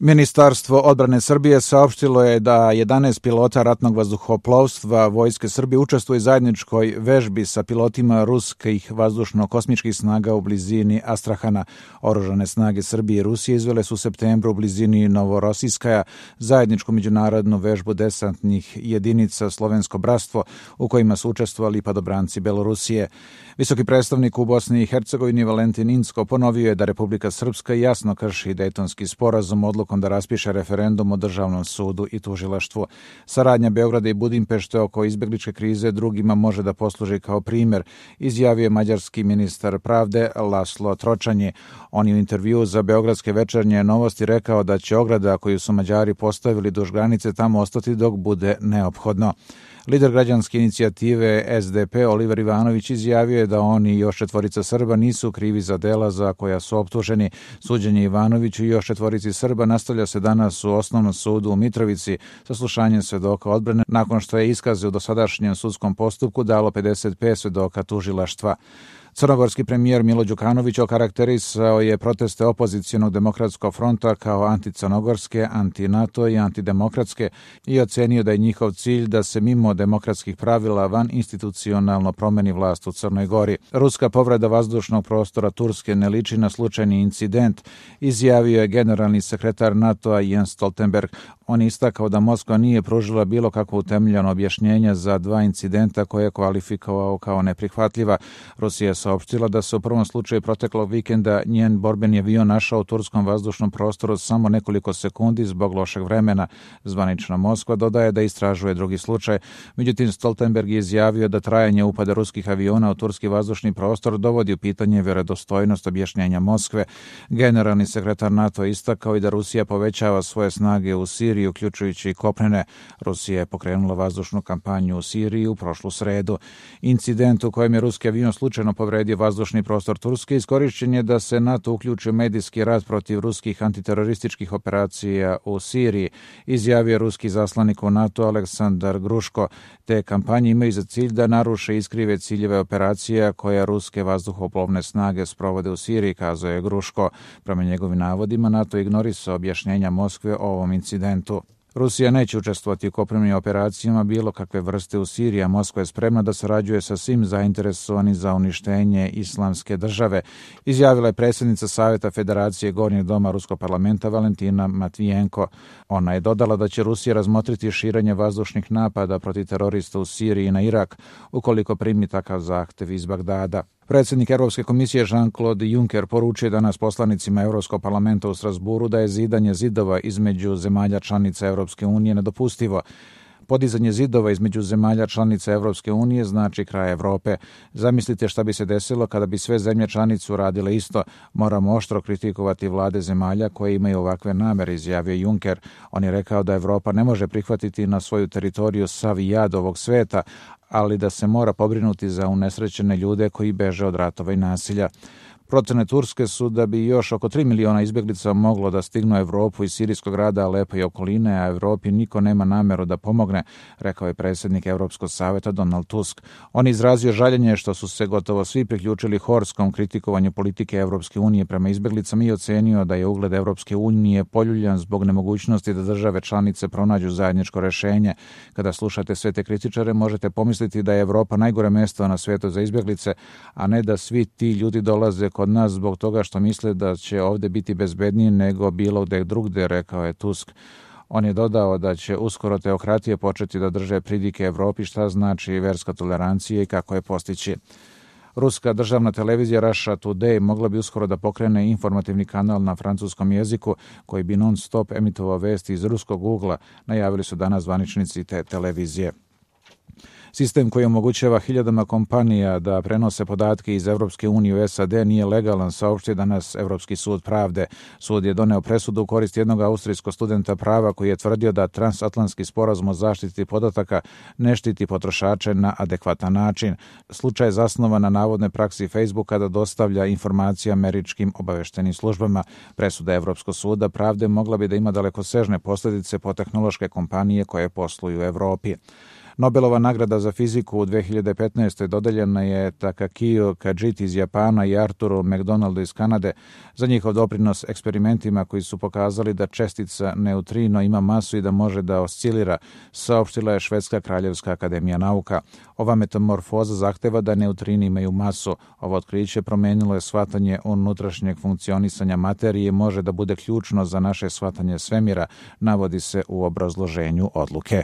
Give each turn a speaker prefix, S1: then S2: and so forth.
S1: Ministarstvo odbrane Srbije saopštilo je da 11 pilota ratnog vazduhoplovstva Vojske Srbije učestvuje u zajedničkoj vežbi sa pilotima ruskih vazdušno-kosmičkih snaga u blizini Astrahana. Oružane snage Srbije i Rusije izvele su u septembru u blizini Novorosijskaja zajedničku međunarodnu vežbu desantnih jedinica Slovensko bratstvo u kojima su učestvovali padobranci Belorusije. Visoki predstavnik u Bosni i Hercegovini Valentin Incko ponovio je da Republika Srpska jasno krši Dejtonski sporazum odlukom da raspiše referendum o državnom sudu i tužilaštvu. Saradnja Beograda i Budimpešte oko izbegličke krize drugima može da posluži kao primer, izjavio je mađarski ministar pravde Laslo Tročanje. On je u intervjuu za Beogradske večernje novosti rekao da će ograda koju su Mađari postavili duž granice tamo ostati dok bude neophodno. Lider građanske inicijative SDP Oliver Ivanović izjavio je da oni i još 4 Srba nisu krivi za dela za koja su optuženi. Suđenje Ivanoviću i još 4 Srba nastavlja se danas u Osnovnom sudu u Mitrovici sa slušanjem svedoka odbrane nakon što je iskaze u dosadašnjem sudskom postupku dalo 55 svedoka tužilaštva. Crnogorski premijer Milo Đukanović okarakterisao je proteste opozicionog demokratskog fronta kao anticrnogorske, anti-NATO i antidemokratske i ocenio da je njihov cilj da se mimo demokratskih pravila van institucionalno promeni vlast u Crnoj Gori. Ruska povreda vazdušnog prostora Turske ne liči na slučajni incident, izjavio je generalni sekretar NATO-a Jens Stoltenberg. On je istakao da Moskva nije pružila bilo kakvo utemeljeno objašnjenje za 2 incidenta koje je kvalifikovao kao neprihvatljiva. Rusija je saopštila da se u prvom slučaju proteklog vikenda njen borbeni avion našao u turskom vazdušnom prostoru samo nekoliko sekundi zbog lošeg vremena. Zvanična Moskva dodaje da istražuje drugi slučaj. Međutim, Stoltenberg je izjavio da trajanje upada ruskih aviona u turski vazdušni prostor dovodi u pitanje vjerodostojnost objašnjenja Moskve. Generalni sekretar NATO istakao i da Rusija povećava svoje snage u Siriji, uključujući i kopnene. Rusija je pokrenula vazdušnu kampanju u Siriji u prošlu sredu. Incident u kojem je ruski avion slučajno povredio vazdušni prostor Turske iskorišćen je da se NATO uključi u medijski rat protiv ruskih antiterorističkih operacija u Siriji, izjavio ruski zaslanik u NATO Aleksandar Gruško. Te kampanje imaju za cilj da naruše i iskrive ciljeve operacija koje ruske vazduhoplovne snage sprovode u Siriji, kazao je Gruško. Prema njegovim navodima, NATO ignorisao objašnjenja Moskve o ovom incidentu. Rusija neće učestvovati u kopnenim operacijama bilo kakve vrste u Siriji, a Moskva je spremna da sarađuje sa svim zainteresovanim za uništenje islamske države, izjavila je predsjednica Saveta Federacije Gornjeg doma Ruskog parlamenta Valentina Matvijenko. Ona je dodala da će Rusija razmotriti širenje vazdušnih napada protiv terorista u Siriji i na Irak, ukoliko primi takav zahtev iz Bagdada. Predsjednik Europske komisije Jean-Claude Juncker poručio danas poslanicima Europskog parlamenta u Strasburu da je zidanje zidova između zemalja članica Europske unije nedopustivo. Podizanje zidova između zemalja članica Europske unije znači kraj Evrope. Zamislite šta bi se desilo kada bi sve zemlje članice uradile isto. Moramo oštro kritikovati vlade zemalja koje imaju ovakve namere, izjavio Juncker. On je rekao da Evropa ne može prihvatiti na svoju teritoriju sav jad ovog sveta, ali da se mora pobrinuti za unesrećene ljude koji beže od ratova i nasilja. Procene Turske su da bi još oko 3 miliona izbjeglica moglo da stignu Evropu iz sirijskog grada Alepa i okoline, a Evropi niko nema nameru da pomogne, rekao je predsjednik Europskog saveta Donald Tusk. On je izrazio žaljenje što su se gotovo svi priključili horskom kritikovanju politike Evropske unije prema izbjeglicama i ocenio da je ugled Evropske unije poljuljan zbog nemogućnosti da države članice pronađu zajedničko rješenje. Kada slušate sve te kritičare, možete pomisliti da je Evropa najgore mjesto na svijetu za izbjeglice, a ne da svi ti ljudi dolaze kod nas zbog toga što misle da će ovdje biti bezbednije nego bilo gde drugde, rekao je Tusk. On je dodao da će uskoro teokratije početi da drže pridike Evropi šta znači verska tolerancija i kako je postići. Ruska državna televizija Russia Today mogla bi uskoro da pokrene informativni kanal na francuskom jeziku koji bi non stop emitovao vesti iz ruskog ugla, najavili su danas zvaničnici te televizije. Sistem koji omogućava hiljadama kompanija da prenose podatke iz Evropske unije u SAD nije legalan, saopštio danas Evropski sud pravde. Sud je doneo presudu u korist jednog austrijskog studenta prava koji je tvrdio da transatlantski sporazum o zaštiti podataka ne štiti potrošače na adekvatan način. Slučaj je zasnovan na navodnoj praksi Facebooka da dostavlja informacije američkim obaveštenim službama. Presuda Evropskog suda pravde mogla bi da ima dalekosežne posljedice po tehnološke kompanije koje posluju u Evropi. Nobelova nagrada za fiziku u 2015. dodeljena je Takakiju Kajiti iz Japana i Arturu McDonaldu iz Kanade za njihov doprinos eksperimentima koji su pokazali da čestica neutrino ima masu i da može da oscilira, saopštila je Švedska kraljevska akademija nauka. Ova metamorfoza zahteva da neutrini imaju masu. Ovo otkriće promenilo je shvatanje unutrašnjeg funkcionisanja materije i može da bude ključno za naše shvatanje svemira, navodi se u obrazloženju odluke.